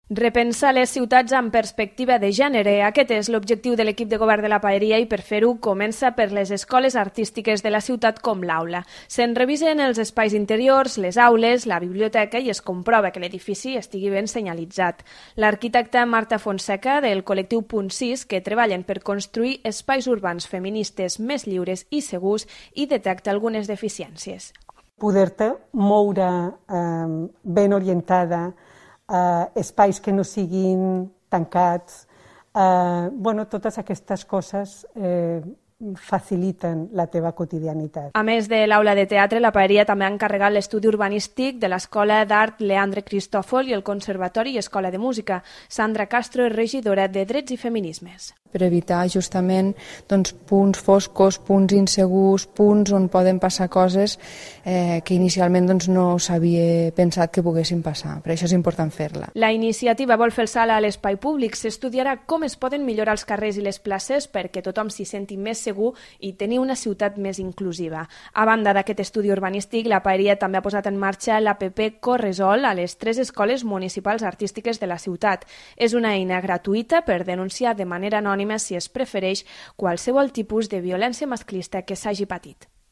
Repensar les ciutats amb perspectiva de gènere. Aquest és l'objectiu de l'equip de govern de la Paeria i per fer-ho comença per les escoles artístiques de la ciutat com l'Aula. Se'n revisen els espais interiors, les aules, la biblioteca i es comprova que l'edifici estigui ben senyalitzat. L'arquitecta Marta Fonseca del col·lectiu Punt 6 que treballen per construir espais urbans feministes més lliures i segurs i detecta algunes deficiències. Poder-te moure ben orientada, espais que no siguin tancats, totes aquestes coses faciliten la teva quotidianitat. A més de l'aula de teatre, la Paeria també ha encarregat l'estudi urbanístic de l'Escola d'Art Leandre Cristòfol i el Conservatori i Escola de Música. Sandra Castro és regidora de Drets i Feminismes. Per evitar justament punts foscos, punts insegurs, punts on poden passar coses que inicialment no s'havia pensat que poguessin passar. Per això és important fer-la. La iniciativa vol fer el salt a l'espai públic. S'estudiarà com es poden millorar els carrers i les places perquè tothom s'hi senti més segur i tenir una ciutat més inclusiva. A banda d'aquest estudi urbanístic, la Paeria també ha posat en marxa l'APP Corresol a les 3 escoles municipals artístiques de la ciutat. És una eina gratuïta per denunciar de manera anònima si es prefereix qualsevol tipus de violència masclista que s'hagi patit.